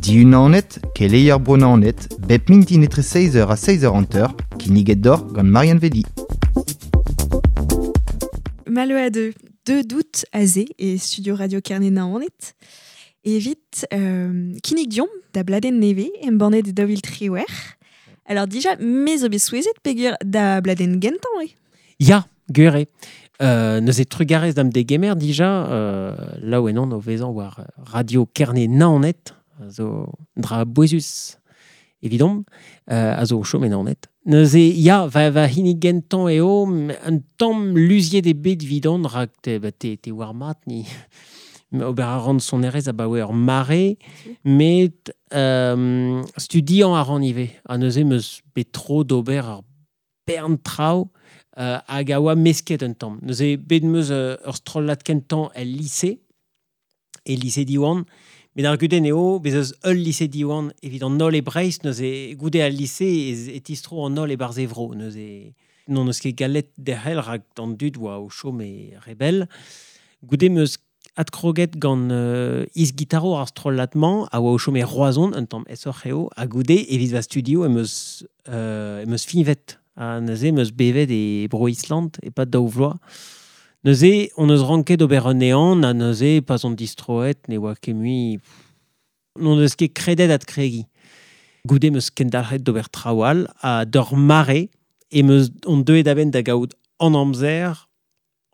Diunanet, keleier Bro-Naoned, bep mintin etre 6h ha 6h50, kinniget deoc'h gant Marianne Vedi. Malo a deux, deux doute aze e studio Radio Kerne Naoned. Evit kinnig diomp da bladenn neve embannet e daou vil triwec'h. Alors dija, me zo bet souezhet peogwir da bladenn gentañ eo. Ya, gwir eo. Neuze trugarez da'm degemer dija, laouen on o vezañ war Radio Kerne Naoned, a zo un dra bouezus evidomp, a zo o chom e Naoned. Neuze, ya, va, va hini gentañ eo, un tamm luziet eo bet evidon, rak te, ba, te, te war mat ni. Ober a ran sonerezh abaoe ur mare, met studiañ a ran ivez. Ha neuze 'm eus bet tro d'ober ur bern traoù hag a oa mesket un tamm. Neuze bet 'm eus ur strollad kentañ el lise, e lise Diwan, met ar gudenn eo, bez eus ul lise Diwan evit an holl e Breizh, neuze goude al lise e tistro an holl e-barzh e vro. Neuze n'hon eus ket gallet derc'hel rak an dud oa o chom e rebell. Goude 'm eus adkroget gant is-gitarour ar strollad-mañ a oa o chom e Roazhon, un tamm aesoc'h eo, ha goude evit va studio em eus em eus fiñvet. Ha neuze em eus bevet e Bro-Island e-pad daou vloaz. Neuze hon eus ranket ober un ehan ha neuze pa'z on distroet ne oa ket mui... N'hon eus ket kredet adkregiñ. Goude em eus kendalc'het d'ober traoù all ha d'ur mare em eus on deuet a-benn da gaout an amzer,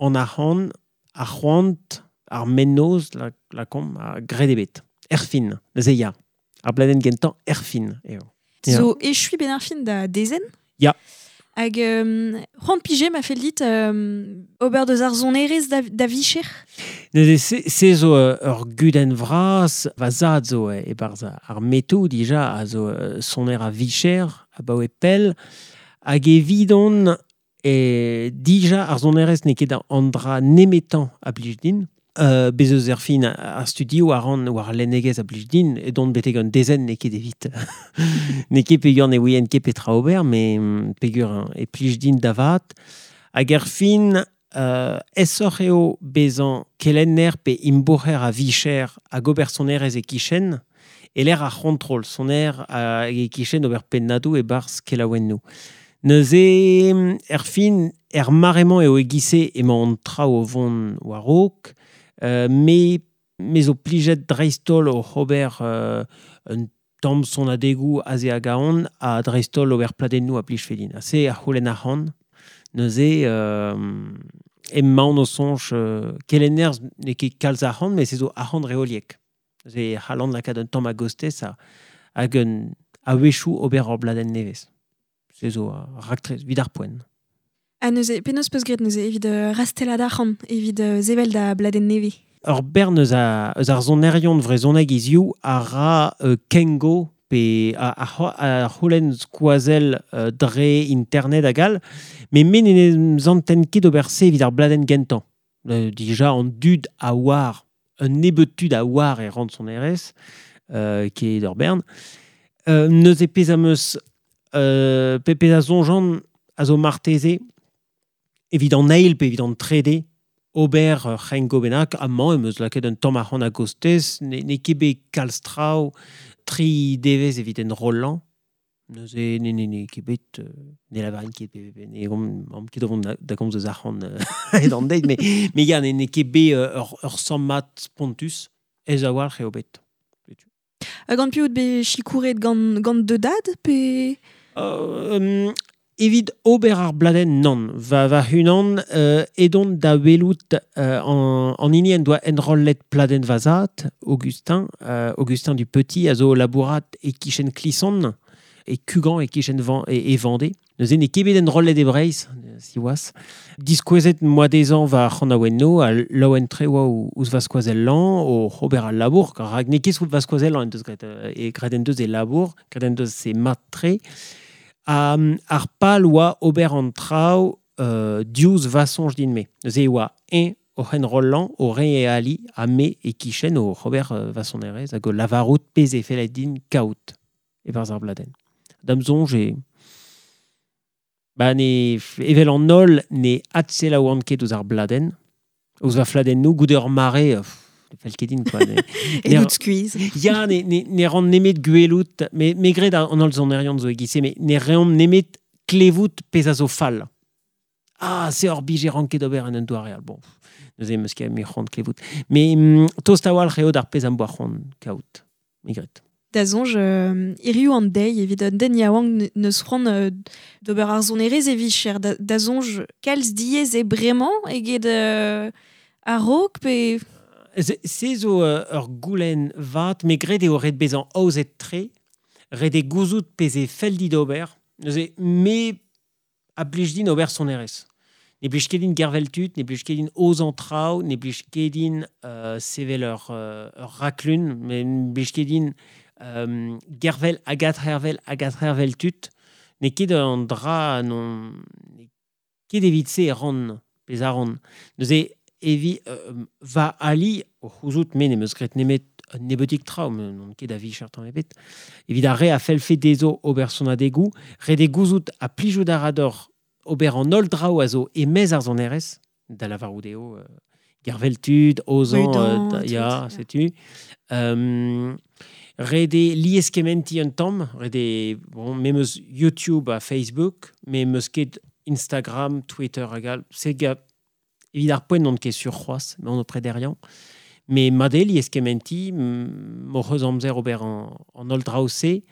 an arc'hant, ar c'hoant, ar mennozh lakaomp, ha graet eo bet. Erfin, neuze ya. Ar bladenn gentañ erfin eo. Zo echuiñ benn ar fin da dezenn? Ya. Hag c'hoant pije ma fell dit ober deus ar sonerezh da, da vicher? Neuze se, se zo ur gudenn vras. Va zad zo e-barzh ar metoù dija, a zo soner a vicher abaoe pell. Hag evidon e dija ar sonerezh n'eo ket an dra nemetañ a blij din. Bez eus erfin ar studioù a ran war al lennegezh a blij din, edon betek un dezenn n'eo ket evit. N'eo ket peogwir ne ouien ket petra ober, met peogwir e plij din da vat. Hag erfin, aesoc'h eo bezañ kelenner pe imbourc'her a vicher hag ober sonerezh e-kichen, e-lec'h ar c'hontrol, soner hag e-kichen ober pennadoù e-barzh kelaouennoù. Neuze, erfin, er mare-mañ eo e-giz-se emañ an traoù o vont war-raok, me, me zo plijet dreist-holl oc'h ober un tamm sonadegoù aze hag ahont, ha dreist-holl ober pladennoù a blijfe din. Ha se a c'houlenn arc'hant. Neuze, emaon o soñj kelenner n'eo ket kalz arc'hant, met se zo arc'hant reoliek. Neuze e c'hallan lakaat un tamm a-gostez hag un a-wechoù ober ur bladenn nevez. Se zo ar raktres evit ar poent. Ha neuze, penaos peus graet neuze evit rastellat arc'hant, evit sevel da bladenn nevez? Ur bern eus, a, eus ar sonerion vrezhonek hiziv a ra kengo pe a, a, a c'houlenn skoazell dre internet hag all, met me ne zanten ket ober se evit ar bladenn gentañ. Dija an dud a oar, un nebeud tud a oar e ran sonerezh, ket ur bern. Neuze pezh am eus pe pezh a soñjan a zo marteze evit an eil pe evit an trede ober ur c'hengo bennak. Amañ em eus lakaet un tamm arc'hant a-gostez, n'eo ket bet kalz traoù, tri devezh evit enrollañ. Neuze ne ne n'eo ket bet, ne lavarin ket, ne omp ket o vont da gomz eus arc'hant hed an deiz, mais ya, n'eo ket bet ur sammad spontus, aes a-walc'h eo bet. Ha gant piv out bet sikouret gant, gant da dad pe... Evit ober ar bladenn, nann. Va, va-unan, edon da welout an, an hini en doa enrollet pladenn va zad, Augustin, Augustin du Petit, a zo o labourat e-kichen Klison, e Kugan, e-kichen Van, e, e Vendée. Neuze n'eo ket bet enrollet e Breizh, siwazh. Diskouezet 'm boa dezhañ va c'hanaouennoù ha laouen-tre oa ouzh va skoazellañ o ober al labour, rak n'eo ket va skoazellañ en deus graet, e graet en deus e labour, graet en deus e mat-tre. Ha ar pal oa ober an traoù diouzh va soñj din-me. Neuze e oa eñ oc'h enrollañ, o reiñ e ali, ha me e-kichen oc'h ober va sonerezh hag o lavarout pezh e felle din kaout e-barzh ar bladenn. Da'm soñj e... Ba ne, evel an holl ne adselaouan ket ouzh ar bladenn, ouzh va fladennoù, goude ur mare, Fell ket din, quoi. E dout skuizh. Ya, ne ran nemet gwelout, me gred an holl sonerion zo e-giz-se, met ne reomp nemet klevout pezh a zo fall. Ah, se hor bije ranket ober en un doare all. Bon, neuze em eus ket mui c'hoant klevout. Mais tost a-walc'h eo d'ar pezh am boa c'hoant kaout, me gred. Da soñj, hiriv an deiz evit un den yaouank neus c'hoant d'ober ar sonerezh e vicher. Da soñj, kalz diaes eo bremañ eget a-raok pe... Se zo ur goulenn vat, me gred eo ret bezañ aozet tre, ret eo gouzout pezh e fell dit ober. Neuze, me a blij din ober sonerezh. Ne blij ket din gervel tud, ne blij ket din aozañ traoù, ne blij ket din sevel ur raklun, met ne blij ket din gervel hag adhervel tud. N'eo ket an dra non n'eo ket evit se e ran, pezh a ran. Neuze, evi va ali o c'houzout me n'em eus graet nemet un nebeudig traoù, me n'on ket a vicher tamm ebet. Evit ar re a fellfe dezho ober sonadegoù, ret eo gouzout ha plijout a ra deoc'h ober an holl draoù a zo e-maez ar sonerezh, da lavarout eo gervel tud, aozañ, ya, setu. Ret eo lieskementiñ un tamm, ret eo, bon, me 'm eus YouTube ha Facebook, me 'm eus ket Instagram, Twitter hag all, se evit ar poent n'on ket sur c'hoazh, mais on o prederiañ. Mais mat eo lieskementiñ, m'hoc'h eus amzer ober an holl draoù-se,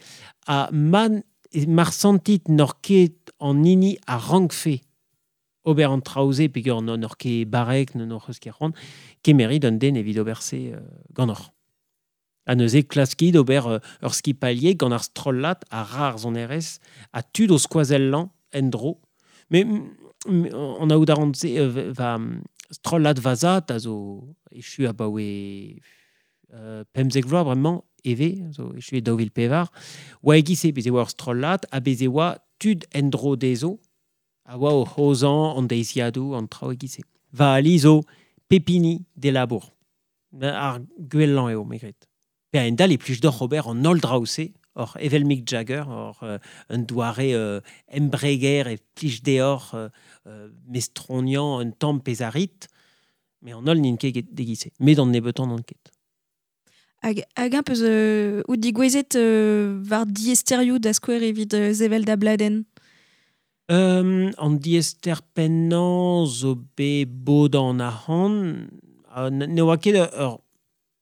ha mar sentit n'oc'h ket an hini a rankfe ober an traoù-se, peogwir n'oc'h ket barrek, n'hoc'h eus ket c'hoant, kemerit un den evit ober se ganeoc'h. Ha neuze klaskit ober ur skipalier gant ar strollad a ra ar sonerezh, ha tud o skoazellañ en-dro. Mais an aout a ran se va strollad va zad a zo echu abaoe 15 vloaz bremañ eve, zo echu e 2004, oa e-giz-se, bez' e oa ur strollad, ha bez' e oa tud en-dro dezho, a oa o c'hozañ an deiziadoù, an traoù e-giz-se. Va ali zo pep hini d'e labour. Ar gwellañ eo, me gred. Pe a-hend-all e plij deoc'h ober an holl draoù-se, oc'h evel Mick Jagger, oc'h un doare embreger e plij deoc'h mestroniañ un tamm pezh a rit, met an holl n'int ket d'e-giz-se. Met an nebeutañ n'ont ket. Hag un peus out digouezet war diaesterioù da skouer evit sevel da bladenn? An diaester pennañ zo bet bodañ an arc'hant. Ne oa ket ur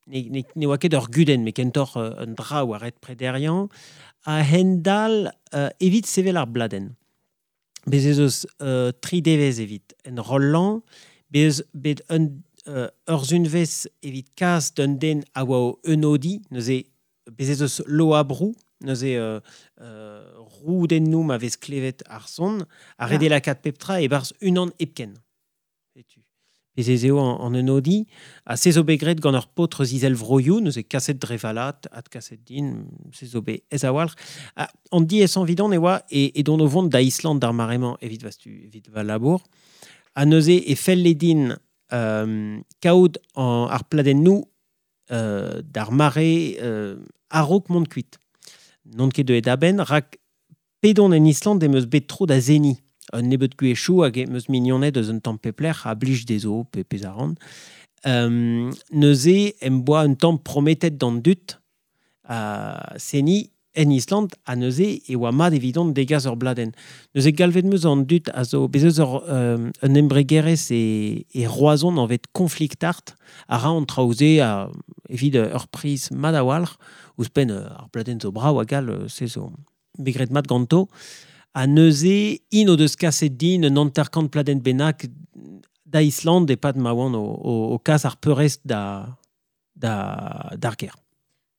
ne oa ket ur gudenn, met kentoc'h un dra oa ret prederiañ. A-hend-all, evit sevel ar bladenn. Bez ez eus tri devezh evit enrollañ, bez bet un ur sunvezh evit kas d'un den a oa o unodiñ, neuze bez ez eus loabrou, neuze roudennoù ma vez klevet ar son, ha ret eo lakaat pep tra e-barzh unan hepken. Setu. Bez ez eo an unodiñ, ha se zo bet graet gant ur paotr eus Izelvroioù, neuze kaset dre valat, adkaset din, se zo bet aes a-walc'h. Ha an diaesañ evidon e oa edon o vont da Island d'ar mare-mañ evit va evit va labour. Ha neuze e felle din kaout ar pladennoù d'ar mare a-raok mont kuit. N'on ket deuet a-benn, rak pedon en Island em eus bet tro da seniñ. Un nebeud gwezhioù hag em eus mignoned eus un tamm pep lec'h a blij dezho pe pezh a ran. Neuze em boa un tamm prometet d'an dud a seniñ en Island, ha neuze e oa mat evidon degas ur bladenn. Neuze galvet 'm eus an dud a zo bez eus ur un embregerezh e Roazhon anvet Conflict Art, a ra an traoù-se evit ur priz mat a-walc'h, ouzhpenn ar bladenn zo brav hag all, se zo bet graet mat ganto. Ha neuze, int o deus kaset din un hanter-kant pladenn bennak da Island e-pad ma oan o kas ar peurrest d'ar gêr.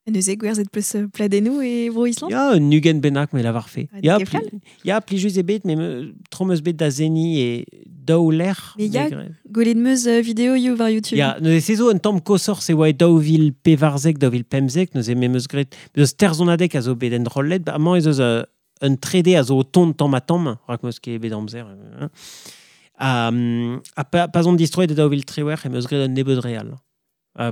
Ha neuze, gwerzhet peus pladennoù e bro Island? Ya, un ugent bennak me lavarfe. Ha Ya, n'eo ket fall? ya, plijus eo bet, met tro 'm eus bet da seniñ e daou lec'h. Mais ya, gwelet 'm eus videoioù war YouTube. Ya, neuze se zo un tamm koshoc'h, se oa e 2014, 2015, neuze me 'm eus graet... Eus terzonadeg a zo bet enrollet, amañ ez eus un 3D a zo o tont tamm ha tamm, rak 'm eus ket bet amzer. Ha pa 'z on distroet e 2018 em eus graet un nebeud re all.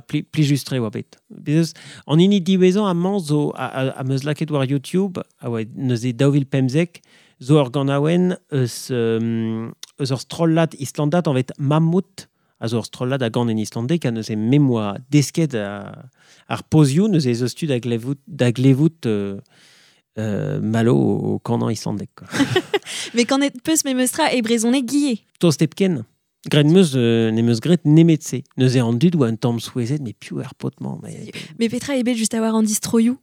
Plijus-tre oa bet. Bez eus, an hini diwezhañ amañ zo am eus lakaet war YouTube, a oa neuze 2015, zo ur ganaouenn eus ur strollad islandat anvet Mammut, A zo ur strollad a gant en islandek, a neuze memoa desket ar pozioù, neuze ez eus tu da glevout malo o kanan islandek. Quoi. Mais quand et peus me meustra e brezhoneg guillet. Tost hepken. Gret meus ne meus gret nemet se. Neuze an dud oa un tamm souezhet, mais piv ar paotr-mañ. Mais petra eo bet just a war an distroioù?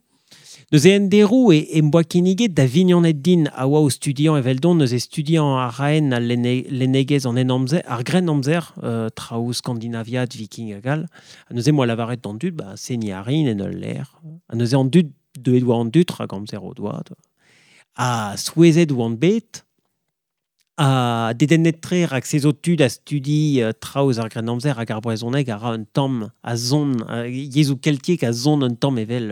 Neuze en derou e em boa kinniget da vignonet din a oa o studiañ eveldon, neuze studiañ a raen al lennegezh an en amzer, ar grenn amzer, traoù skandinaviat, viking hag all. Ha neuze moa lavaret d'an dud, ba, seniñ a rin en ul lec'h. Ha neuze an dud deuet oa an dud, rak amzer o doa. Ha souezhet oant bet, ha dedennet-tre rak se zo tud a studi traoù eus ar grennamzer hag ar brezhoneg a ra un tamm a zon, yezhoù keltiek a zon un tamm evel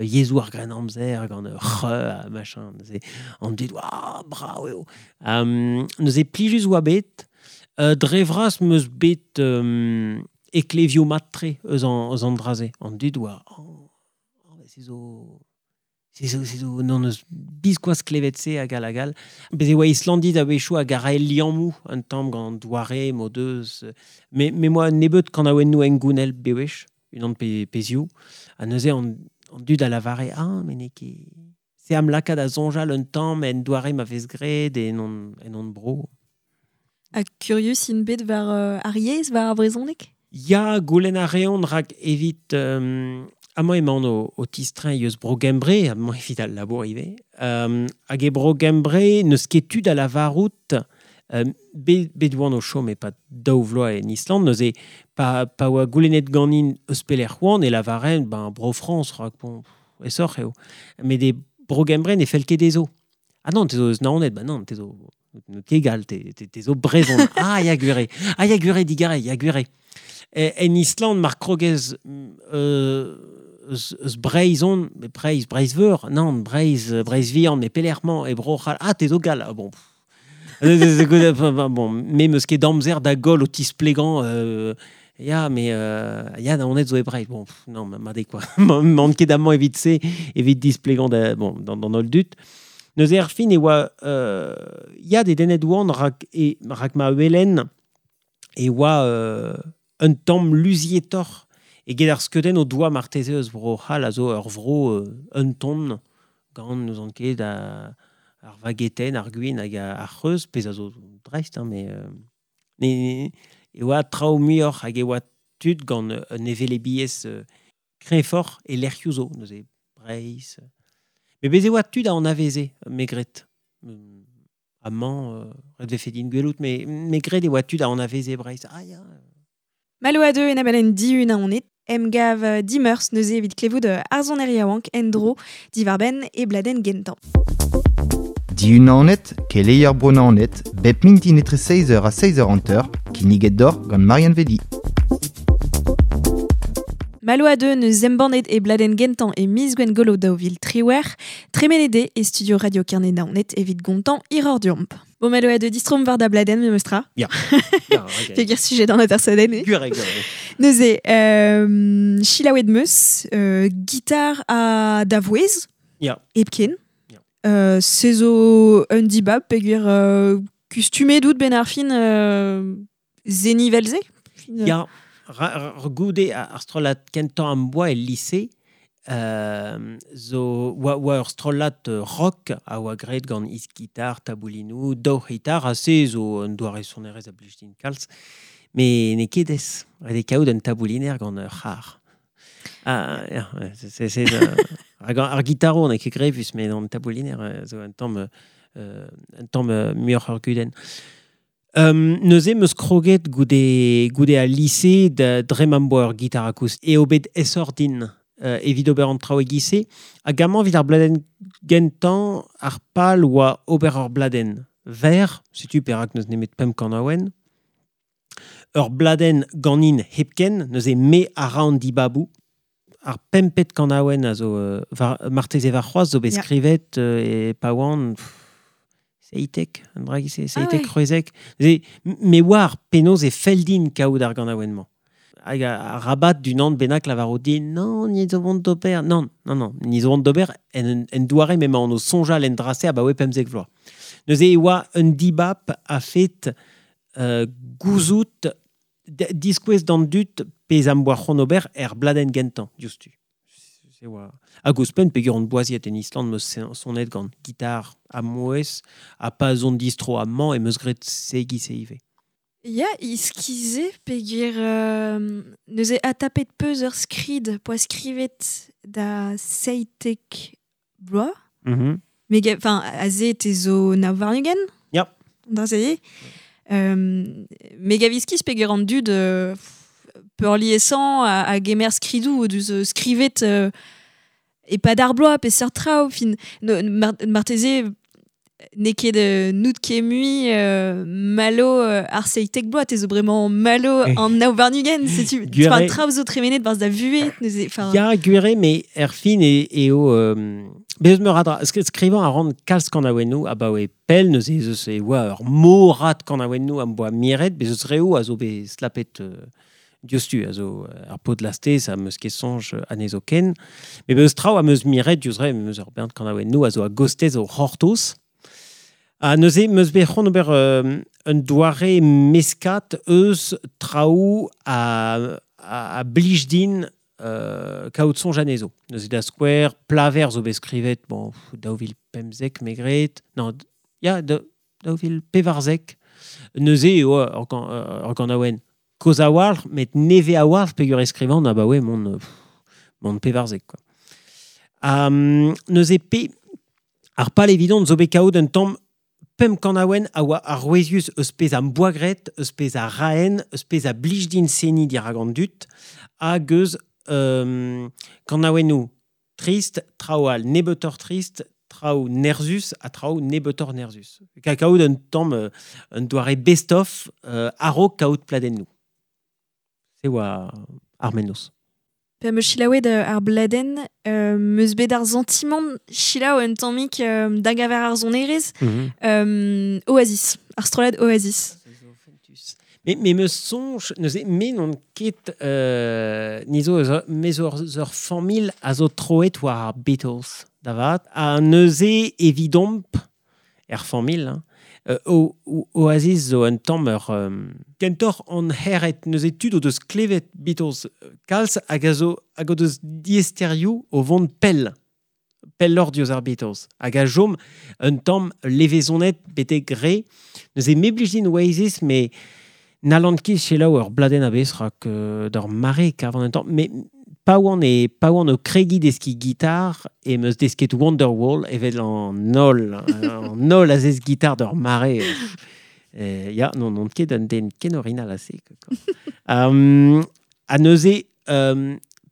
yezhoù ar grennamzer gant ur c'h ha machin. Neuze an dud, oa, brav eo. Neuze plijus oa bet, dre vras meus bet eklevioù mat-tre eus an dra-se. An dud oa, oh, se zo... Se zo, non eus biskoazh klevet se hag all hag all. Bez e oa Islandid a-wechoù hag a rae liammoù un tamm gant an doare m'o deus. Me moa nebeut kanaouennoù engounel bewech, unan pe pezhioù. Ha neuze an dud a lavare, ah, mais n'eo ket... Se am lakaat da soñjal un tamm en doare ma vez graet en hon bro. Ha curieux int bet war ar yezh, war ar brezhoneg? Ya, goulenn a reont rak evit... Amañ emaon o tistreñ eus Bro-Gembre, amañ evit al labour ivez. Hag e Bro-Gembre n'eus ket tu da lavarout bet oan o chom e pa daou vloaz en Island, neuze pa oa goulennet ganin eus pelec'h oan e lavaren ben Bro-Frañs, rak bon, esoc'h eo. Met e Bro-Gembre ne fell ket dezho. Ah non, te zo eus Naoned, ben non, te zo ket gall, te zo brezhon. Ah, ya gwire. Ah, ya gwire, digare, ya gwire. En Island, mar krogez eus Breizh on, mais Breizh, Breizh-Veur, non, Breizh, Breizh-Vihan, mais pelec'h-mañ e Bro-C'hall, ah, te zo gall, ah, bon. Bon, me meus ket amzer da goll o tisplegañ, ya, mais ya, Naoned zo e Breizh, bon, pff, non, ma de quoi. M'an ket amañ evit se, evit displegañ da, bon, d'an holl dud. Neuze ar fin e oa, ya, dedennet oan rak, e, rak ma welen e oa un tamm luzietoc'h eget ar skeudenn o doa marteze eus Bro-C'hall a zo ur vro un ton gant n'eus an ket ar vagetenn, ar gwin hag ar c'hreuz, pezh a zo dreist, hein, mais e oa traoù muioc'h hag e oa tud gant un hevelebiezh kreñvoc'h e lec'hioù zo, neuze Breizh. Mais bez e oa tud a anaveze, me gret. Amañ, ret vefe din gwelout, mais me gret e oa tud a anaveze Breizh. Ah ya. Malo a deux en abalen diun a onet, emgav dimeurs neuze evit klevout ar soner yaouank en-dro divarbenn e bladenn gentañ. Diun a onet, keleier bro Naoned, bep mintin etre 16h ha 16h50, kinniget d'or gant Marianne Vedi. Malo a deux neus embannet e bladenn gentañ e miz Gwengolo 2023, tremenet eo e studio Radio Kerne Naoned evit gontañ hiroc'h deomp. Bon, Malo a deux distrom war da bladenn me meustra. Ya. Ya, ok. Peogwir sujet d'an atersadenn, eh? Gwir eo, gwir eo. Neuze, chilaouet meus, gitar a da vouezh. Ya. Hepken. Ya. Se zo un dibab, peogwir kustumet out ben ar fin zeni vel-se. Fin, Ya. Goude ar strollad kentañ am boa el lycée, zo oa ur strollad rock a oa graet gant is-gitar, taboulinoù, daou c'hitar, ha se zo un doare sonerezh a blij din kalz. Mais n'eo ket ez, ret eo kaout un tabouliner gant ur c'har. Ah, ya, ouais, c'est, hag ar gitaro n'eo ket grevus, mais an tabouliner zo un tamm muioc'h ur gudenn. Neuze meus kroget goude al lycée da dre m'am boa ur gitar akoustik. Eo bet esoc'h din evit ober an traoù e-giz-se. Hag amañ evit ar bladenn gentañ, ar pal oa ober ur bladenn ver, setu perak n'eus nemet pemp kanaouenn. Ur bladenn ganin hepken, neuze me a ra an dibaboù. Ar pempet kanaouenn a zo marteze war c'hoazh zo bet skrivet e pa oan, seitek, an dra giz-se, seitek, c'hwezek. Neuze, me oar penaos e fell din kaout ar ganaouenn-mañ. Hag ar rabat d'unan bennak lavaro din, non, ni zo vont d'ober. Non, non, non, ni zo vont d'ober en doare m'emañ o soñjal en dra-se abaoe pemzek vloaz. Neuze e oa un dibab a fet gouzout Diskouez d'an dud pez am boa c'hoant ober er bladenn gentañ, diouzhtu. Se oa. Hag ouzhpenn peogwir on boaziet en Island meus sonet gant gitar ha mouezh ha pa zon distro amañ em eus graet se giz-se ivez. Ya, iskize peogwir neuze adtapet peus ur skrid poa skrivet da 17 bloaz. Me enfin, aze te zo nav warn-ugent? Ya. An dra-se. Me gav iskis peogwir an dud peurliesañ a gemer skridoù o deus skrivet e-pad ar bloaz peseurt traoù. Fin, marteze n'eo ket n'out ket mui malo ar 17 bloaz, te zo bremañ malo an nav warn-ugent, setu Gwir eo. Traoù zo tremenet barzh da vuhez, neuze, enfin. Ya, gwir eo, met er fin eo bez meur a dra. Skrivañ a ran kalz kanaouennoù abaoe pell, neuze ez eus e oa ur morad kanaouennoù am boa miret, bez eus reoù a zo bet slapet diouzhtu, a zo ar paotr lastez am eus ket soñj anezho ken. Met bez eus traoù am eus miret diouzh re, am eus ur bern kanaouennoù a zo a-gostez o c'hortoz. Ha neuze, em eus bet c'hoant ober un doare meskat eus traoù a blij din kaout soñj anezho. Neuze da skouer, Plaver zo bet skrivet, bon, 2015 me gred, non, ya, 2014. Neuze eo ur ganaouenn kozh a-walc'h, met nevez a-walc'h peogwir e skrivan abaoe mont 14, quoi. Neuze pe ar pal evidon zo bet kaout un tamm pemp kanaouenn a oa arouezius eus pezh am boa graet, eus pezh a raen, eus pezh a blij din seniñ dirak an dud, hag eus kanaouennoù trist, traoù all nebeutoc'h trist, traoù nerzus ha traoù nebeutoc'h nerzus. Kaout un tamm un doare best-of a-raok kaout pladennoù. Se oa ar mennozh. Pa 'm eus selaouet ar bladenn, 'm eus bet ar santimant selaou un tammig da gaver ar sonerezh, Oasis, ar strollad Oasis. Mais me 'm eus soñj, neuze, me n'on ket ni zo eus me zo eus ur familh a zo troet war ar Beatles, da vat. Ha neuze evidomp, er familh, hein, Oasis zo un tamm ur kentoc'h an hêred, neuze tud o deus klevet Beatles kalz hag a zo hag o deus diaesterioù o vont pell, pelloc'h diouzh ar Beatles. Hag a chom un tamm levezonet betek re. Neuze me blij din Oasis, mais n'hallan ket selaou ur bladenn a-bezh rak d'ur mare kavan un tamm. Mais pa oan o kregiñ deskiñ gitar em eus desket Wonderwall evel an holl, an holl a zesk gitar d'ur mare. Ya, non, n'on ket un den ken orinal a-se, quoi. Ha neuze,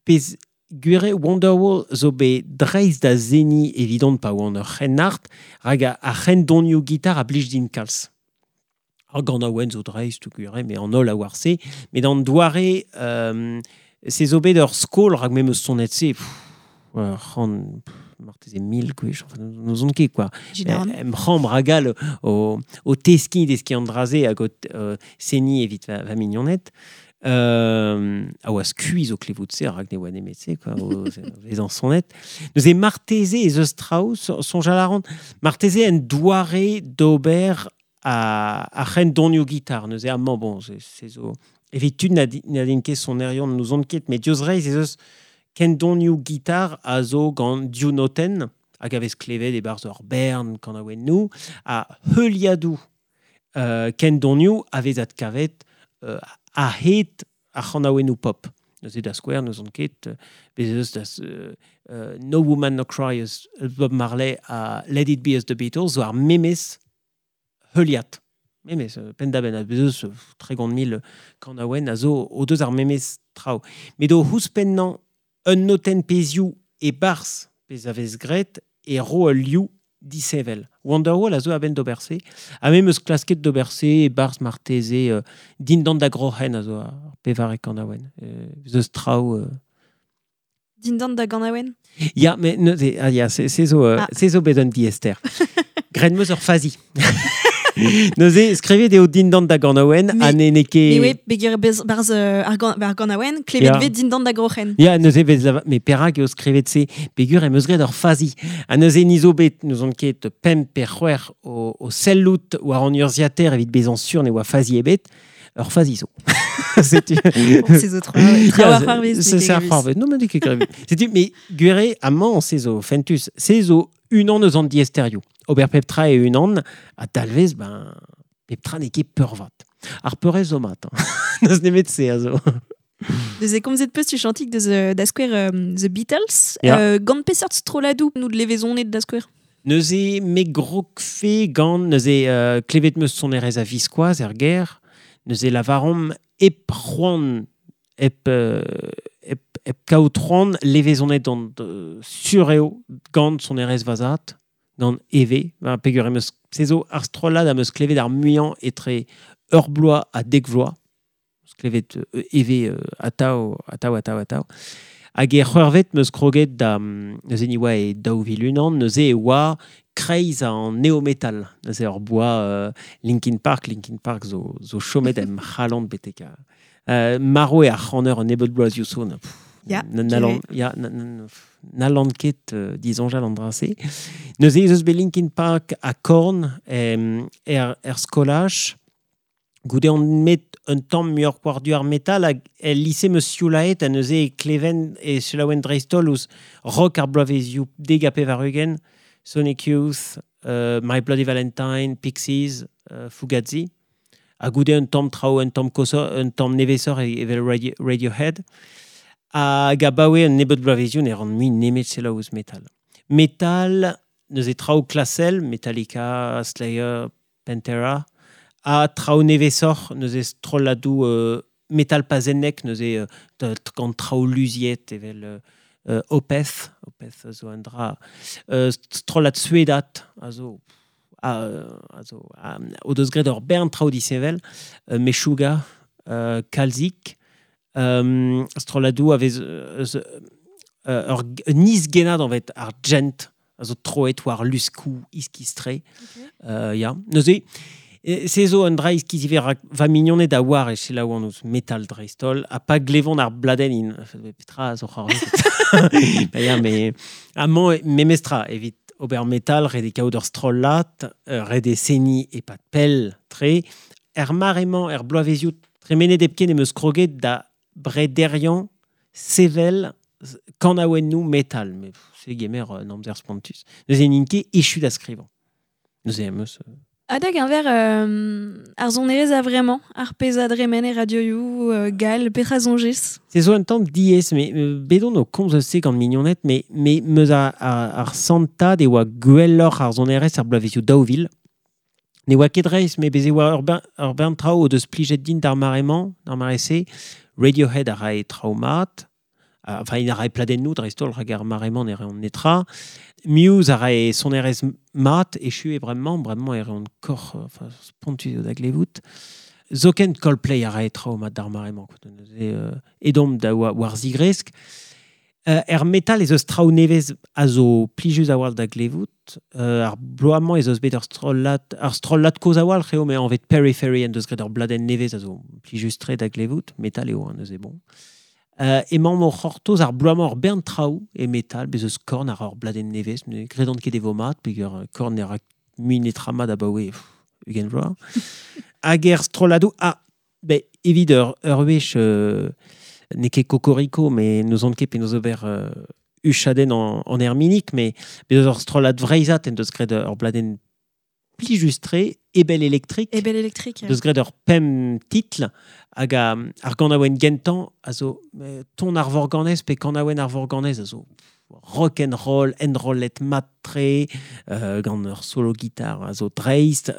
pezh gwir eo Wonderwall zo bet dreist da seniñ evidon pa oan ur c'hrennard, rak ar c'hendonioù gitar a blij din kalz. Ar ganaouenn zo dreist, gwir eo, met an holl a oar se. Met an doare, se zo bet ur skol rak me 'm eus sonet se, pff, ur c'hant, pff, marteze 1000 gwech, enfin, n'ouzon ket, quoi. Général. Em c'hambr hag all o teskiñ deskiñ an dra-se hag o seniñ evit va mignoned. A oa skuizh o klevout se, rak ne oa nemet se, quoi, o vezañ sonet. Neuze marteze ez eus traoù, soñjal a ran, marteze en doare d'ober a c'hendonioù gitar. Neuze amañ, bon, se zo evit tud na din ket sonerion n'ouzon ket, met diouzh reizh ez eus kendonioù gitar a zo gant div notenn hag a vez klevet e-barzh ur bern kanaouennoù, ha heuliadoù kendonioù a vez adkavet a-hed ar c'hanaouennoù pop. Neuze da skouer, n'ouzon ket, bez eus da No Woman No Cry eus Bob Marley ha Let It Be eus The Beatles zo ar memes heuliad. Memes, penn-da-benn, ha bez eus 30 000 kanaouenn a zo o deus ar memes traoù. Met o ouzhpennañ un notenn pezhioù e-barzh pezh a vez graet e ro ul liv disheñvel. Wonderwall a zo a-benn d'ober se. Ha me 'm eus klasket d'ober se e-barzh marteze dindan da groc'hen a zo ar pevare kanaouenn. Ez eus traoù... Dindan da ganaouenn? Ya, met neuze, ah, ya, se zo, se zo bet un diaester. Graet 'm eus ur fazi. Neuze, skrivet eo dindan da ganaouenn, ha ne ket... Mais ouais, peogwir bez barzh ar ganaouenn, klevet vez dindan da groc'hen. Ya, neuze vez lava-, met perak eo skrivet se? Peogwir em eus graet ur fazi. Ha neuze ni zo bet, n'ouzon ket pemp pe c'hwec'h o sellout war an urzhiataer evit bezañ sur ne oa fazi ebet, ur fazi zo. Setu. Bon, se zo tra war c'hoarvez. Se ar c'hoarvez. Non, mais n'eo ket grevus. Setu, mais gwir amañ se zo fentus. Se zo unan eus an diaesterioù. Ober pep tra e unan, ha talvez, ben, pep tra n'eo ket peurvat. Ar peurrest zo mat. Hein. N'eus nemet se a zo. Deus e komzet peus tu chantik deus da skouer The Beatles. Ya. Gant peseurt strolladoù nou de levezonet da skouer? Neuze me grogfe gant, neuze klevet meus sonerezh a viskoazh er gêr, neuze lavaromp hep c'hoant, hep, hep, hep kaout c'hoant levezonet an sur eo gant sonerezh vazat, gant EV, ben, peogwir em eus, se zo ar strollad am eus klevet ar muiañ etre ur bloaz ha dek vloaz. Eus klevet EV atav, atav, atav, atav. Hag e c'hwec'hvet 'm eus kroget da neuze ni oa e 2001, neuze e oa kreiz an néo-metal. Neuze ur boa Linkin Park, Linkin Park zo, zo chomet em c'halon betek a. Marv eo ar c'haner un nebeud bloazioù zo. Na, pff, Ya, n'hallan ya, n'hallan ket disoñjal an dra-se. Neuze ez eus bet Linkin Park ha Korn er, er skolaj. Goude on met un tamm muioc'h war-du ar metal hag el lise 'm eus sioulaet ha neuze e kleven e selaouen dreist-holl ouzh rock ar bloavezioù dek ha pevar-ugent, Sonic Youth, My Bloody Valentine, Pixies, Fugazi. Ha goude un tamm traoù, un tamm koshoc'h, un tamm nevesoc'h evel Radiohead. Hag abaoe un nebeud bloavezioù ne ran mui nemet selaou ouzh metal. Metal, neuze traoù klasel, Metallica, Slayer, Pantera, ha traoù nevesoc'h, neuze strolladoù metal pazennek, neuze gant traoù luziet evel Opeth, Opeth a zo un dra, strollad suedat a zo a zo o deus graet ur bern traoù disheñvel, Meshuggah, kalzik, strolladoù a vez eus ur un isgenad anvet ar gent a zo troet war luskoù iskis-tre. Ya, neuze, se zo un dra iskis ivez rak va mignoned a oar e selaouan ouzh metal dreist-holl, ha pa glevont ar bladenn int, petra a zo c'hoarvezet. Ba ya, mais amañ memestra evit ober metal, ret eo kaout ur strollad, ret eo seniñ e-pad pell tre. Er mare-mañ, er bloavezioù tremenet hepken em eus kroget da brederiañ sevel kanaouennoù metal. Mais se gemer un amzer spontus. Neuze n'int ket echu da skrivañ. Neuze em eus... Ha da geñver ar sonerezh a-vremañ, ar pezh a dremen e radioioù gall, petra soñjez? Se zo un tamm diaes, mais bet on o komz eus se gant mignoned, mais meus ar santad e oa gwelloc'h ar sonerezh ar bloavezioù 2000. Ne oa ket reizh, mais bez e oa ur bern traoù o deus plijet din d'ar mare-mañ, d'ar mare-se. Radiohead a rae traoù mat. Enfin, il a rae pladennoù dreist-holl, rak ar mare-mañ ne reont netra. Muse a rae sonerezh mat, echu eo bremañ, bremañ e reont kor, enfin, spontus eo da glevout. Zoken Coldplay a rae traoù mat d'ar mare-mañ, quoi. Neuze, edomp da war zigresk. Er metal ez eus traoù nevez a zo plijus a-walc'h da glevout. Ar bloaz-mañ ez eus bet ur strollad, ar strollad kozh a-walc'h eo, met anvet Periphery en deus graet ur bladenn nevez a zo plijus-tre da glevout. Metal eo, hein, neuze bon. Emañ o c'hortoz ar bloaz-mañ ur bern traoù e metal, bez eus Korn ar ur bladenn nevez, ne gredan ket e vo mat, peogwir Korn ne ra mui netra mat abaoe ugent vloaz. Hag er strolladoù, ah, ben, evit ur wech, n'eo ket Cocorico, mais n'ouzon ket penaos ober huchadenn en Herminik, mais bez eus ur strollad vreizhat en deus graet ur bladenn plijus-tre, Ebel Electric. Ebel Electric, Deus graet ur pemp titl hag ar ganaouenn gentañ a zo ton ar vorganez pe kanaouenn ar vorganez a zo rock and roll, enrollet mat-tre, gant ur solo guitar a zo dreist,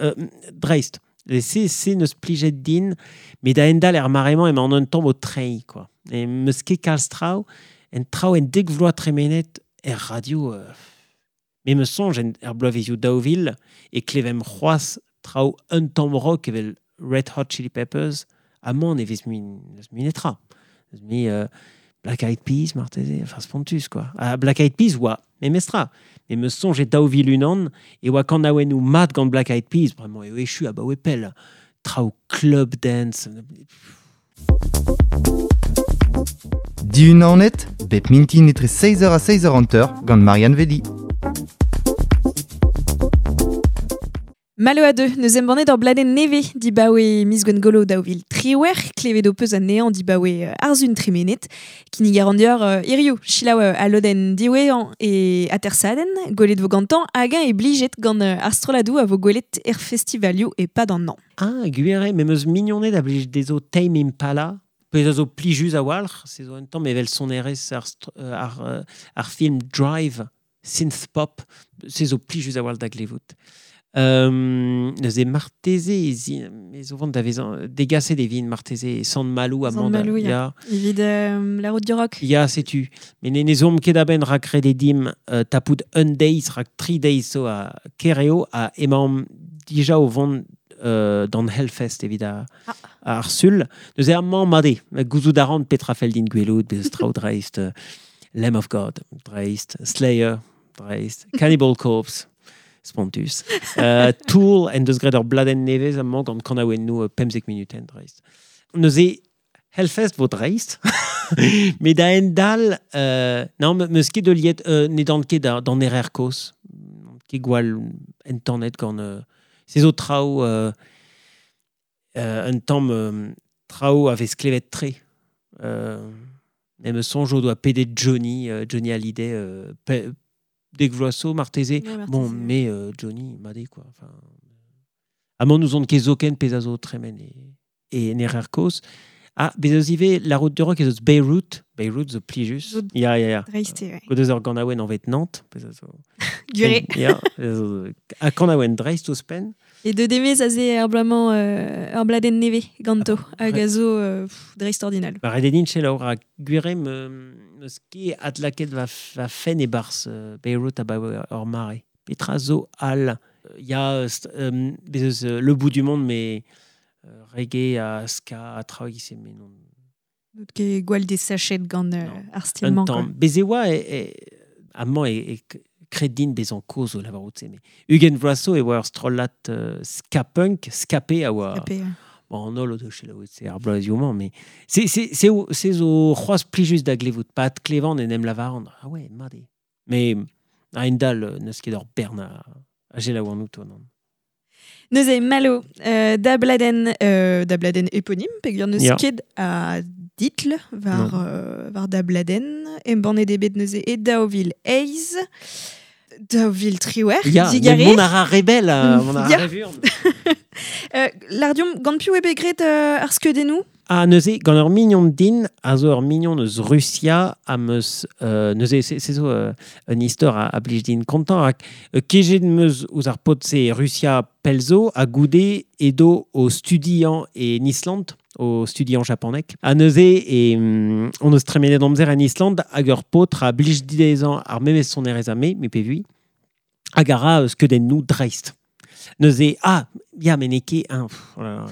dreist. Et se neus plijet din, met da endal er mare-mañ emañ an un tamm o treiñ, quoi. E meus ket kalz traoù, en traoù en dek vloaz tremenet er radio, me meus soñj en er bloavezioù 2000 e klevemp c'hoazh traoù un tamm rock evel Red Hot Chili Peppers, amañ ne vez mui, n'eus mui netra. N'eus mui Black Eyed Peas, marteze, enfin spontus, quoi. Ah, Black Eyed Peas oa memestra. Me meus soñj e 2001 e oa kanaouennoù mat gant Black Eyed Peas, bremañ eo echu abaoe pell. Traoù club dance. Diunanet, bep mintin etre 6h ha 6h hanter gant Marianne Velli. Malo a deux, neus embannet ur bladenn nevez dibaoe miz Gwengolo daou vil triwec'h, klevet ho peus anezhañ dibaoe arzun tremenet, kinnig a ran deoc'h hiziv selaou al lodenn diwezhañ e atersadenn, gwelet vo gantañ hag-eñ e blijet gant ar strolladoù a vo gwelet er festivalioù e-pad an hañv. Ah, gwir eo, me 'm eus mignoned a blij dezho Tame Impala, pezh a zo plijus a-walc'h, se zo un tamm evel sonerezh ar film Drive, synth-pop, se zo plijus a-walc'h da glevout. Neuze marteze ez zo vont da vezañ degaset e vin marteze e Sant-Maloù amañ. Sant-Maloù, ya. Ya. Evit la route du rock. Ya, setu. Met ne zomp ket a-benn rak ret eo dimp tapout un deiz, rak tri deiz zo a Kereo ha emaomp dija o vont d'an Hellfest evit ar Sul. Neuze amañ mat eo, gouzout a ran petra fell din gwelout, bez traoù dreist, Lamb of God, dreist, Slayer, dreist, Cannibal Corpse, spontus. Tool en deus graet ur bladenn nevez amañ gant kanaouennoù 15 minutenn dreist. Neuze Hellfest vo dreist, met da endal, non, meus ket heuliet, ne dan ket d'an RR kozh, ket gwall entanet gant se zo traoù un tamm traoù a vez klevet tre. Me me soñjo doa pedet Johnny Hallyday dek vloaz zo marteze. Ouais, marteze. Bon, mais Johnny, mat eo, quoi. Enfin, amañ n'ouzon ket zoken pezh a zo tremen e en RR kozh. Ah, bez eus ivez la route du rock ez eus Beirut. Beirut zo plijus. Zo Ya, ya, ya. dreist eo, ouais. Gant eus ur ganaouenn anvet Nantes, pezh a zo. Guré. Ya, pezh a zo. Ha kanaouenn dreist ouzhpenn. E deux demez aze ar bloaz-mañ ur bladenn nevez ganto, Ah, hag a zo dreist ordinal. Ba, ret eo din selaou rak gwir eo meus ket adlakaet va fenn e-barzh Beirut abaoe ur mare. Petra zo all? Ya, bez eus Le Bout du Monde, mais reggae ha ska ha traoù e-giz-se, mais non. N'out ket gwall desachet gant Non. ar style-mañ, Un quoi. tamm. Bez e oa amañ e kred din bezañ kozh o lavarout se, mais 20 vloaz zo e oa ur strollad ska punk, skapé a oa. Skapé, ouais. Bon, an holl o deus selaouet se ar bloazioù-mañ, mais se zo c'hoazh plijus da glevout, pa adklevan en em lavaran. Ah ouais, mat eo. Mais a-hend-all, n'eus ket ur bern a selaou an outo, non. Neuze, Malo, da bladenn éponyme, peogwir n'eus Ya. ket a ditl Non. war da bladenn, embannet eo bet neuze e daou vil eizh, daou vil triwec'h, Ya, digarez. mais mont a ra rebel, mont a ra Ya. revurn. Lardiom, gant piv eo bet graet ar skeudennoù? Ah, neuze, gant ur mignon din, a zo ur mignon eus Russia, am eus, neuze, se zo un istor a blij din kontañ, rak kejet em eus ouzh ar paotr-se Russia pell zo, ha goude edo o studiañ en Island, o studiañ japoneg. Ha neuze, on eus tremenet amzer en Island, hag ur paotr a blij dezhañ ar memes sonerezh ha me, me pe vui, hag a ra skeudennoù dreist. Neuze, ah, ya, met n'eo ket un, pff, oh là là.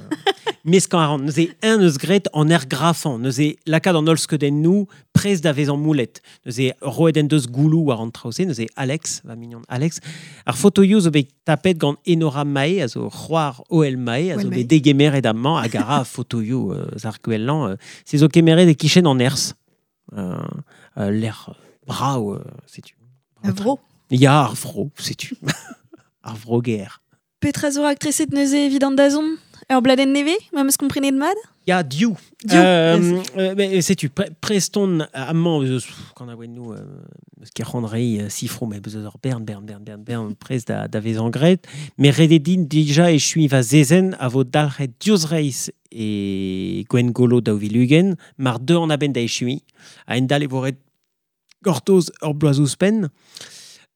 Meskañ a ran. Neuze, un eus graet an ergrafañ. Neuze, lakaat an holl skeudennoù prest da vezañ moulet. Neuze, roet en deus gouloù war an traoù-se. Neuze, Alex, va mignon Alex. Ar fotoioù zo bet tapet gant Enora Mae, a zo c'hoar Hoel Mae, a zo Hoel bet Mae. degemeret amañ hag a ra fotoioù ar gwellañ. Se zo kemeret e kichen an Erzh. L'air brav, setu. Ar vro. Ya, ar vro, setu. Ar vro ger. Petra zo raktreset neuze evit an dazont? Ur bladenn nevez, ma 'm eus komprenet mat? Ya, div. Div, yes. Mais setu, preston amañ, eus, pff, kanaouennoù, eus ket c'hoant reiñ sifroù, mais eus ur bern, bern, bern, bern, bern, prest da vezañ graet. Mais ret eo din dija echuiñ va zezenn a vo dalc'het diouzh reizh e Gwengolo daou vil ugent, mar deu an a-benn da echuiñ, a-hend-all e vo ret gortoz ur bloaz ouzhpenn.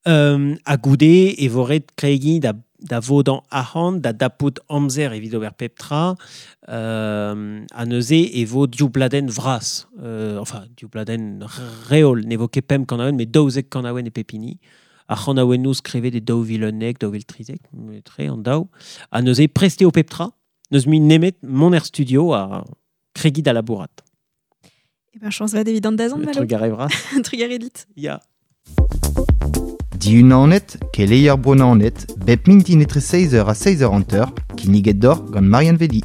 Ha goude e vo ret kregiñ da vodañ arc'hant, da dapout amzer evit ober pep tra, ha neuze e vo div bladenn vras. Enfin, div bladenn reol, ne vo ket pemp kanaouenn, met daouzek kanaouenn e pep hini. Ar c'hanaouennoù skrivet e daou vil unnek, daou vil trizek, tre an daou. Ha neuze prest eo pep tra, n'eus mui nemet mont er studio ha kregiñ da labourat. Eh ben, chañs vat evit an dazont, Le Malo. trugarez vras. Trugarez dit. Ya. Diunanet, keleier bro Naoned, bep mintin etre 6h ha 6h hanter, kinniget d'or gant Marianne Vedi.